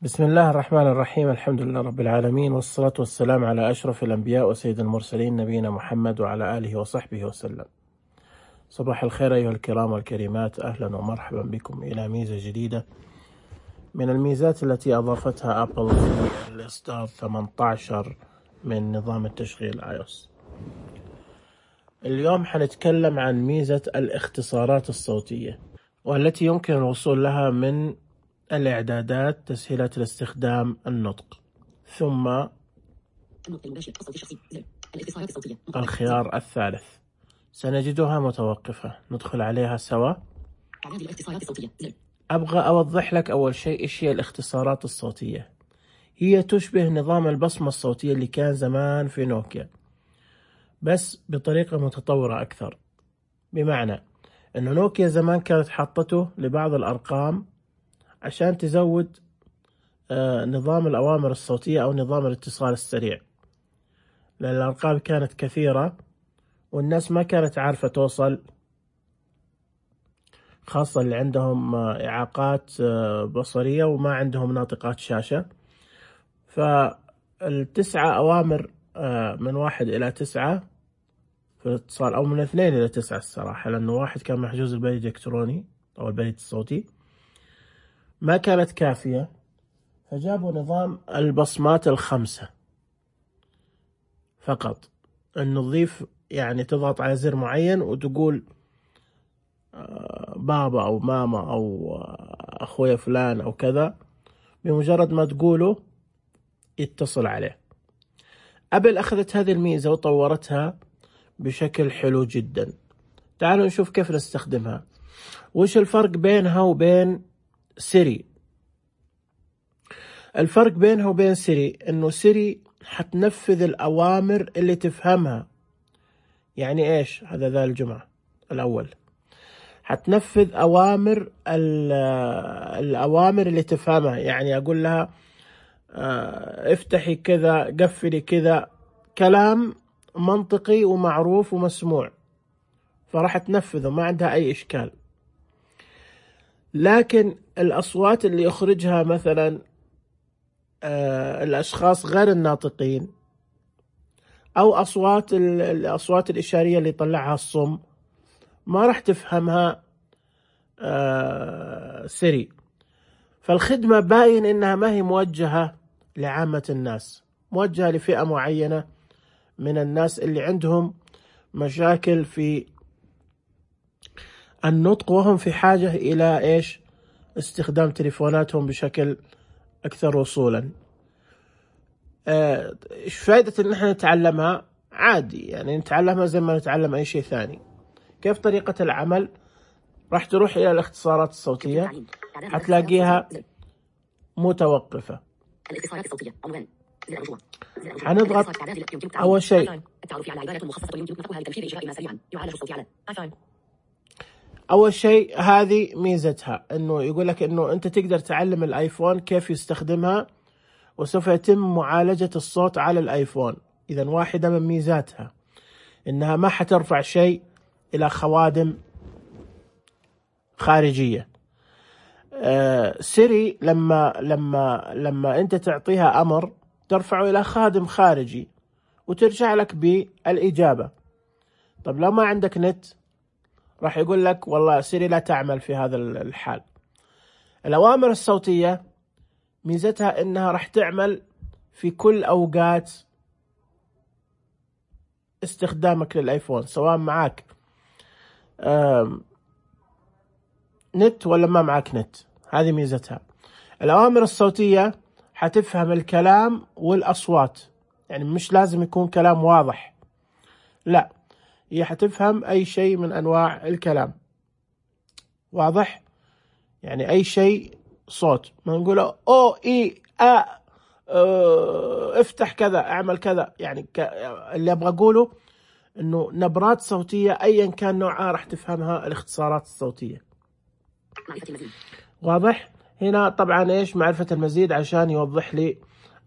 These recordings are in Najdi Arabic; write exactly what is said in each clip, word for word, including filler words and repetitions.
بسم الله الرحمن الرحيم. الحمد لله رب العالمين، والصلاة والسلام على أشرف الأنبياء وسيد المرسلين نبينا محمد وعلى آله وصحبه وسلم. صباح الخير أيها الكرام والكريمات، أهلا ومرحبا بكم إلى ميزة جديدة من الميزات التي أضافتها أبل في الإصدار ثمانية عشر من نظام التشغيل آي أو إس. اليوم حنتكلم عن ميزة الاختصارات الصوتية، والتي يمكن الوصول لها من الإعدادات تسهيلات الاستخدام النطق، ثم الخيار الثالث سنجدها متوقفة. ندخل عليها سوا. أبغى أوضح لك أول شيء إيش هي الاختصارات الصوتية. هي تشبه نظام البصمة الصوتية اللي كان زمان في نوكيا، بس بطريقة متطورة أكثر. بمعنى أنه نوكيا زمان كانت حاطته لبعض الأرقام عشان تزود آه نظام الأوامر الصوتية أو نظام الاتصال السريع، لأن الأرقام كانت كثيرة والناس ما كانت عارفة توصل، خاصة اللي عندهم آه إعاقات آه بصرية وما عندهم ناطقات شاشة. فالتسعة أوامر آه من واحد إلى تسعة في الاتصال، أو من اثنين إلى تسعة الصراحة، لأنه واحد كان محجوز البريد الإلكتروني أو البريد الصوتي، ما كانت كافية، فجابوا نظام البصمات الخمسة فقط. أن نضيف يعني تضغط على زر معين وتقول بابا أو ماما أو أخويا فلان أو كذا، بمجرد ما تقوله يتصل عليه. أبل أخذت هذه الميزة وطورتها بشكل حلو جدا. تعالوا نشوف كيف نستخدمها. وش الفرق بينها وبين سيري؟ الفرق بينها وبين سيري انه سيري حتنفذ الأوامر اللي تفهمها. يعني ايش هذا ذا الجمعة الأول؟ حتنفذ أوامر الأوامر اللي تفهمها. يعني أقول لها افتحي كذا، قفلي كذا، كلام منطقي ومعروف ومسموع، فراح تنفذه، ما عندها أي إشكال. لكن الأصوات اللي يخرجها مثلا آه الأشخاص غير الناطقين، أو أصوات الأصوات الإشارية اللي يطلعها الصم، ما راح تفهمها آه سيري. فالخدمة باين إنها ما هي موجهة لعامة الناس، موجهة لفئة معينة من الناس اللي عندهم مشاكل في النطق، وهم في حاجة إلى إيش؟ استخدام تليفوناتهم بشكل أكثر وصولا. إيش فائدة إن إحنا نتعلمها؟ عادي، يعني نتعلمها زي ما نتعلم أي شيء ثاني. كيف طريقة العمل؟ راح تروح إلى الاختصارات الصوتية، حتلاقيها متوقفة. حنضغط أول شيء أول شيء هذه ميزتها، إنه يقول لك إنه أنت تقدر تعلم الآيفون كيف يستخدمها، وسوف يتم معالجة الصوت على الآيفون. إذن واحدة من ميزاتها إنها ما حترفع شيء إلى خوادم خارجية. آه سيري لما لما لما أنت تعطيها أمر ترفعه إلى خادم خارجي وترجع لك بالإجابة. طب لو ما عندك نت راح يقول لك والله سيري لا تعمل في هذا الحال. الأوامر الصوتية ميزتها إنها راح تعمل في كل أوقات استخدامك للآيفون، سواء معك نت ولا ما معك نت. هذه ميزتها. الأوامر الصوتية حتفهم الكلام والأصوات، يعني مش لازم يكون كلام واضح، لا، هي حتفهم أي شيء من أنواع الكلام. واضح؟ يعني أي شيء صوت، ما نقوله أو إي أ اه افتح كذا، اعمل كذا. يعني اللي أبغى أقوله إنه نبرات صوتية أيا كان نوعها راح تفهمها الاختصارات الصوتية. واضح؟ هنا طبعا إيش معرفة المزيد عشان يوضح لي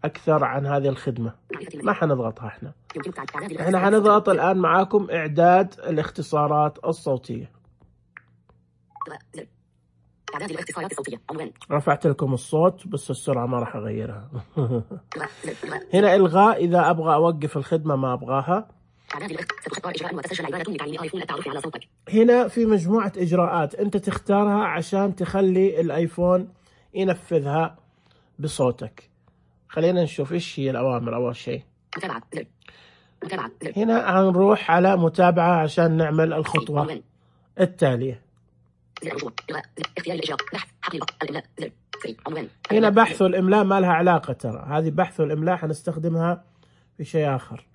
أكثر عن هذه الخدمة. ما حنضغطها احنا احنا حنضغط الآن معاكم إعداد الاختصارات الصوتية. إعداد الاختصارات الصوتية. عنوان. رفعت لكم الصوت بس السرعة ما راح أغيرها. هنا إلغاء، إذا أبغى أوقف الخدمة ما أبغاها. إعداد الاختصارات. ستختار إجراء وتسجل عبارة لتعليم آيفون التعرف على صوتك. هنا في مجموعة إجراءات أنت تختارها عشان تخلي الآيفون ينفذها بصوتك. خلينا نشوف إيش هي الأوامر. أول شيء متابعة. متابعة. هنا هنروح على متابعة عشان نعمل الخطوة التالية. اختيار الإجراء. بحث. حقيقة. الإملاء. عنوان. هنا بحث والإملاء ما لها علاقة، ترى هذه بحث والإملاء حنستخدمها في شيء آخر.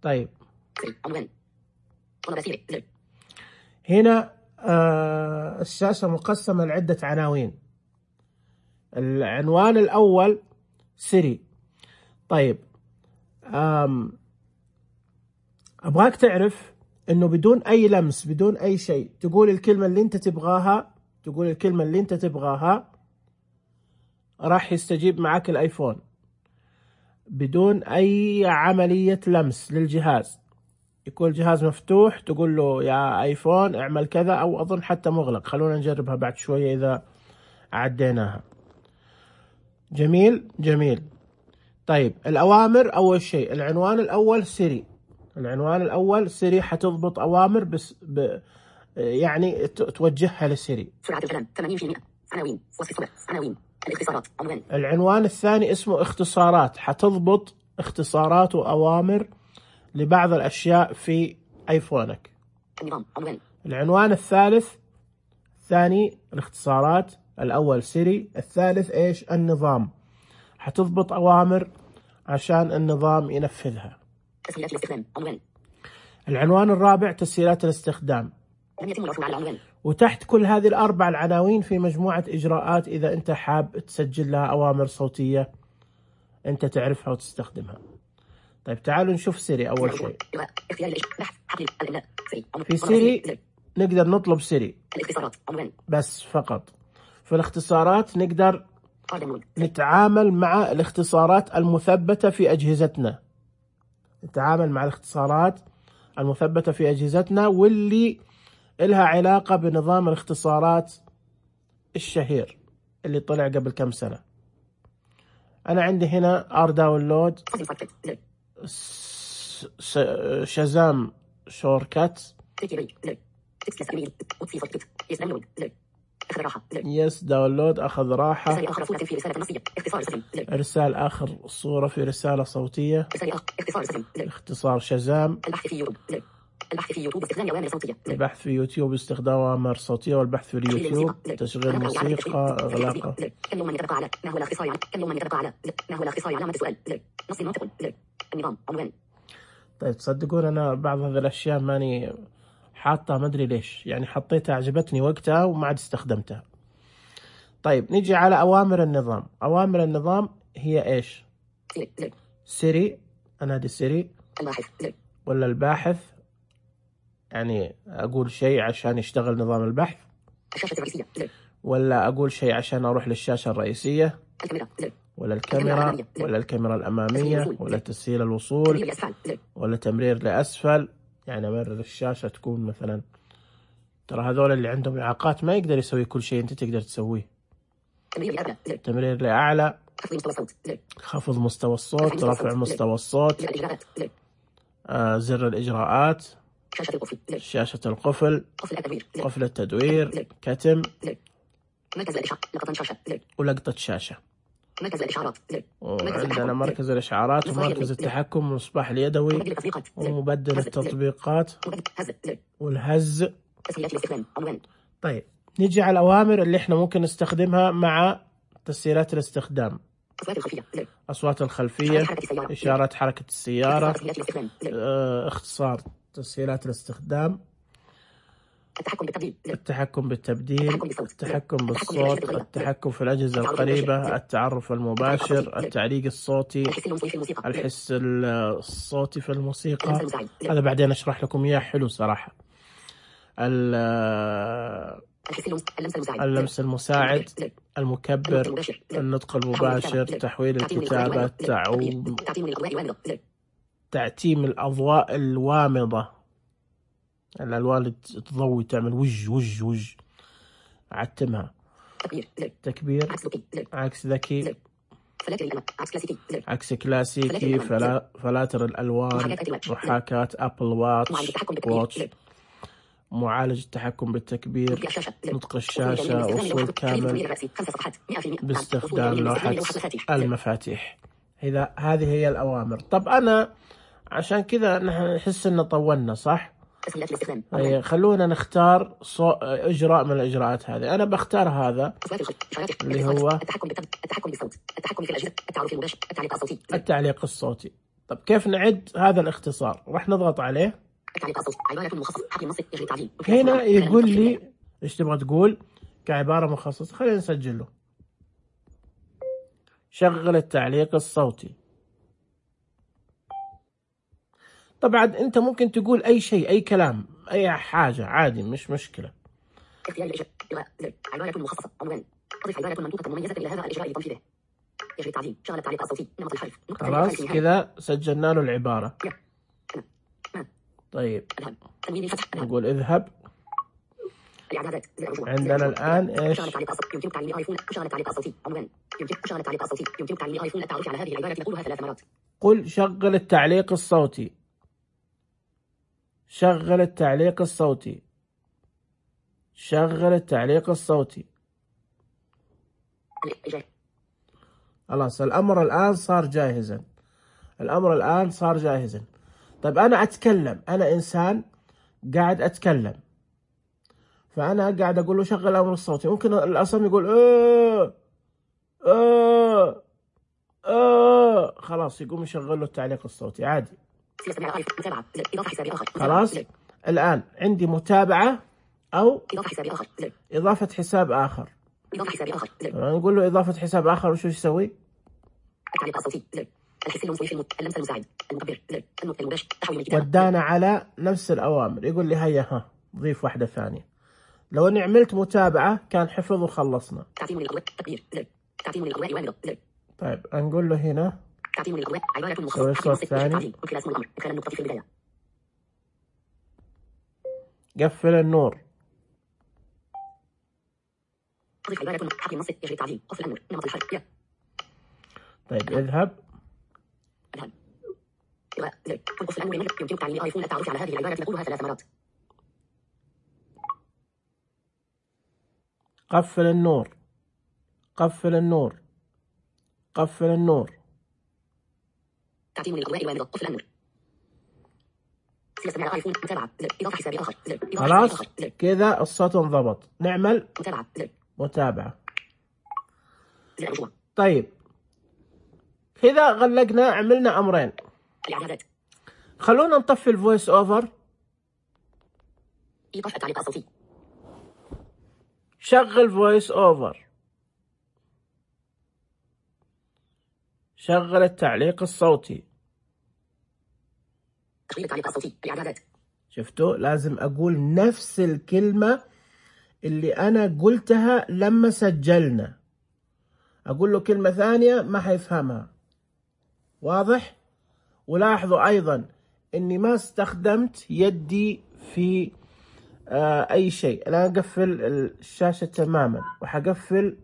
طيب عنوان. طلب سيري. هنا آه الشاشة مقسمة لعدة عناوين. العنوان الأول سيري. طيب آم أبغاك تعرف إنه بدون أي لمس بدون أي شيء تقول الكلمة اللي أنت تبغاها، تقول الكلمة اللي أنت تبغاها راح يستجيب معك الآيفون بدون أي عملية لمس للجهاز. يكون الجهاز مفتوح تقول له يا آيفون اعمل كذا، أو أظن حتى مغلق. خلونا نجربها بعد شوية إذا عديناها. جميل جميل. طيب الأوامر، أول شيء العنوان الأول سيري. العنوان الأول سيري حتضبط أوامر بس ب... يعني توجهها لسيري. سرعة الكلام ثمانين بالمئة. عناوين. وصف الصورة. عناوين. الاختصارات. عنوان. العنوان الثاني اسمه اختصارات، حتضبط اختصارات وأوامر لبعض الأشياء في آيفونك. النظام. عنوان. العنوان الثالث الثاني الاختصارات، الأول سيري، الثالث إيش؟ النظام. حتضبط أوامر عشان النظام ينفذها. تسهيلات الاستخدام. عنوان. العنوان الرابع تسهيلات الاستخدام. لم يتم العثور على العنوان. وتحت كل هذه الأربع العناوين في مجموعة إجراءات إذا أنت حاب تسجل لها أوامر صوتية أنت تعرفها وتستخدمها. طيب تعالوا نشوف سيري أول شيء. في سيري نقدر نطلب سيري الاختصارات. عنوان. بس فقط. في الاختصارات نقدر نتعامل مع الاختصارات المثبتة في أجهزتنا. نتعامل مع الاختصارات المثبتة في أجهزتنا واللي إلها علاقة بنظام الاختصارات الشهير اللي طلع قبل كم سنة. أنا عندي هنا ار داونلود، شازام شوركات، يس داونلود أخذ راحة، إرسال آخر صورة في رسالة صوتية، اختصار شازام، البحث في يوتيوب. البحث في يوتيوب باستخدام أوامر صوتية. البحث في يوتيوب باستخدام أوامر صوتية، والبحث في اليوتيوب تشغيل موسيقى، إغلاقها. كل من يتبقى على ما هو الاختصار على كل من يتبقى على ما هو الاختصار علامة السؤال. نص منطق. النظام. عنوان. طيب تصدقون أنا بعض هذه الأشياء ماني حاطة، ما أدري ليش، يعني حطيتها عجبتني وقتها وما عاد استخدمتها. طيب نيجي على أوامر النظام. أوامر النظام هي إيش؟ سيري. أنا هذه سيري. الباحث. ولا الباحث، يعني أقول شيء عشان يشتغل نظام البحث. الشاشة الرئيسية. ولا أقول شيء عشان أروح للشاشة الرئيسية. الكاميرا. ولا الكاميرا. ولا الكاميرا الأمامية. ولا تسهيل الوصول. ولا تمرير لأسفل، يعني أمرر الشاشة تكون مثلا، ترى هذول اللي عندهم إعاقات ما يقدر يسوي كل شيء أنت تقدر تسويه. تمرير لأعلى. خفض مستوى الصوت. رفع مستوى الصوت. آه زر الإجراءات. شاشة القفل. قفل التدوير. كتم. ولقطة شاشة. مركز الإشعارات. وعندنا مركز الإشعارات ومركز التحكم والمصباح اليدوي ومبدل التطبيقات والهز. طيب نيجي على الأوامر اللي احنا ممكن نستخدمها مع تسهيلات الاستخدام. أصوات الخلفية، إشارات حركة السيارة، اه اختصار تسهيلات الاستخدام، التحكم بالتبديل. التحكم بالتبديل، التحكم بالصوت، التحكم في الأجهزة القريبة، التعرف المباشر، التعليق الصوتي، الحس الصوتي في الموسيقى. هذا بعدين أشرح لكم إياه، حلو صراحة. اللمس المساعد، المكبر، النطق المباشر، تحويل الكتابة، تعوم، تعتيم الأضواء الوامضة، الألوان اللي تضوي تعمل وج وج وج، عتمها. تكبير زر تكبير، عكس ذكي زر عكس ذكي، زر فلاتر الألوان عكس كلاسيكي زر عكس كلاسيكي، فلا فلاتر الألوان، محاكاة أبل واتش واتش، معالج التحكم بالتكبير، نطق الشاشة، وصول كامل باستخدام لوحة المفاتيح. إذا هذه هي الأوامر. طب أنا عشان كذا نحن نحس إن طولنا صح؟ أي خلونا نختار صو... إجراء من الإجراءات هذه. أنا بختار هذا اللي هو التحكم التحكم بالصوت، التحكم في الأجهزة، التعرف المباشر، التعليق الصوتي التعليق الصوتي. طب كيف نعد هذا الاختصار؟ راح نضغط عليه. التعليق الصوتي عبارة مخصصة حق النص يجري التعديل. هنا يقول لي إيش تبغى تقول كعبارة مخصصة. خلينا نسجله. شغل التعليق الصوتي. طبعا انت ممكن تقول اي شيء، اي كلام، اي حاجة عادي، مش مشكلة. اختيار الإجراء زر عبارة مخصصة عنوان أضف عبارة منطوقة مميزة إلى هذا الإجراء لتنفيذه. يجري التعديل. شغل التعليق الصوتي. نمط الحرف. خلاص كذا سجلنا له العبارة. طيب نقول اذهب. عندنا الآن ايش؟ يمكن تعليل الايفون. شغل التعليق الصوتي عنوان. يمكن شغل التعليق الصوتي. يمكن تعليل الايفون التعرف على هذه العبارة نقولها ثلاث مرات. قل شغل التعليق الصوتي. شغل التعليق الصوتي. شغل التعليق الصوتي. خلاص الأمر الآن صار جاهزا. الأمر الآن صار جاهزا. طيب أنا أتكلم، أنا إنسان قاعد أتكلم، فأنا قاعد أقول له شغل الأمر الصوتي. ممكن الأصم يقول آه آه آه خلاص يقوم يشغل له التعليق الصوتي عادي. خلاص الآن عندي متابعة أو إضافة حساب آخر زر. إضافة حساب آخر. إضافة حساب آخر زر. نقول له إضافة حساب آخر وشو يسوي؟ التعليق الصوتي زر. الحس المسوي في المت... اللمس المساعد المكبر زر. النطق المباشر تحويل الكتابة. ودانا على نفس الأوامر. يقول لي هيا ها ضيف واحدة ثانية. لو إني عملت متابعة كان حفظ وخلصنا. تعتيم للأضواء تكبير زر. تعتيم للأضواء وامضة زر. طيب نقول له هنا تعتيم للأضواء عبارة مخصصة حق النص الثاني من خلال اسم الأمر من خلال النقطة في البداية. قفل النور. أضف عبارة حق النص يجري التعديل. قفل النور. نمط الحرف. يا. طيب اذهب. اذهب. إلغاء زر. قفل النور. يمكن تعليل الايفون التعرف على هذه العبارة نقولها ثلاث مرات. قفل النور. قفل النور. قفل النور. تعتيم للأضواء وامضة. قفل النور. سيستمع الايفون متابعة زر. إضافة حساب آخر زر. خلاص كذا الصوت انضبط. نعمل متابعة زر. متابعة. زر رجوع. طيب كذا غلقنا، عملنا أمرين. الإعدادات. خلونا نطفي الفويس أوفر. إيقاف التعليق الصوتي. شغل فويس أوفر. شغل التعليق الصوتي. تشغيل التعليق الصوتي. الإعدادات. شفتوا لازم أقول نفس الكلمة اللي أنا قلتها لما سجلنا. أقول له كلمة ثانية ما حيفهمها. واضح؟ ولاحظوا أيضا أني ما استخدمت يدي في آه أي شيء. الآن أقفل الشاشة تماما وحقفل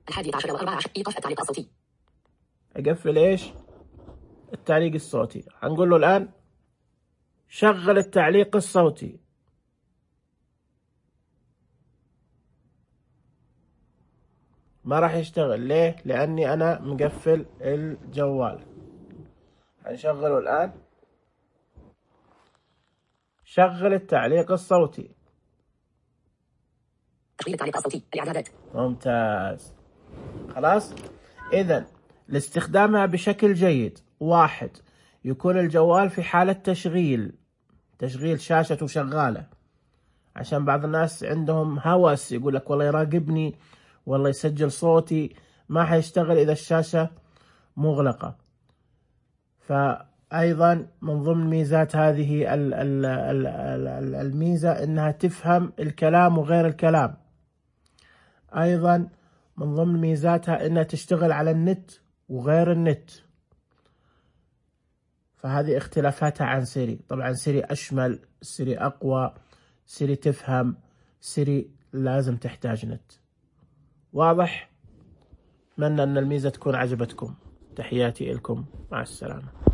الحادي عشر وأربعة عشر. إيقاف التعليق الصوتي. أقفل إيش؟ التعليق الصوتي. هنقول له الآن شغل التعليق الصوتي. ما راح يشتغل. ليه؟ لأني أنا مقفل الجوال. هنشغله الآن. شغل التعليق الصوتي. تشغيل التعليق الصوتي. الإعدادات. ممتاز. خلاص. إذن لاستخدامها بشكل جيد، واحد يكون الجوال في حالة تشغيل، تشغيل شاشته شغالة، عشان بعض الناس عندهم هوس يقول لك والله يراقبني والله يسجل صوتي، ما حيشتغل إذا الشاشة مغلقة. فأيضا من ضمن ميزات هذه الميزة إنها تفهم الكلام وغير الكلام. أيضا من ضمن ميزاتها إنها تشتغل على النت وغير النت. فهذه اختلافاتها عن سيري. طبعا سيري أشمل، سيري أقوى، سيري تفهم، سيري لازم تحتاج نت. واضح؟ أتمنى أن الميزة تكون عجبتكم. تحياتي لكم، مع السلامة.